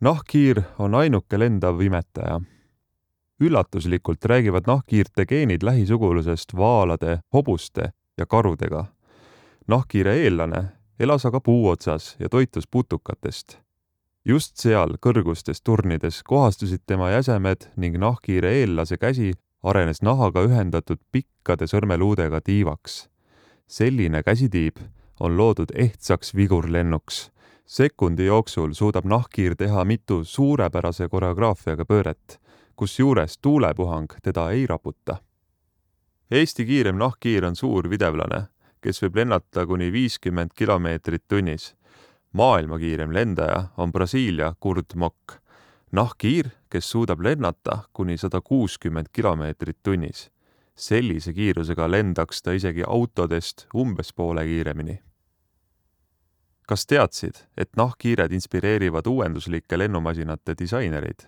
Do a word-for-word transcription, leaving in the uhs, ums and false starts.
Nahkhiir on ainuke lendav imetaja. Üllatuslikult räägivad nahkhiirte geenid lähisugulusest vaalade, hobuste ja karudega. Nahkhiire eellane elas aga puu otsas ja toitus putukatest. Just seal kõrgustes turnides kohastusid tema jäsemed ning nahkhiire eellase käsi arenes nahaga ühendatud pikkade sõrmeluudega tiivaks. Selline käsitiib on loodud ehtsaks vigurlennuks. Sekundi jooksul suudab nahkhiir teha mitu suurepärase koreograafiaga pööret, kus juures tuulepuhang teda ei raputa. Eesti kiirem nahkhiir on suur videvlane, kes võib lennata kuni viiskümmend kilomeetrit tunnis. Maailma kiirem lendaja on Brasiilia Kurt Mok. Nahkhiir, kes suudab lennata kuni sada kuuskümmend kilomeetrit tunnis. Sellise kiirusega lendaks ta isegi autodest umbes poole kiiremini. Kas teadsid, et nahkhiired inspireerivad uuenduslike lennumasinate disainerid?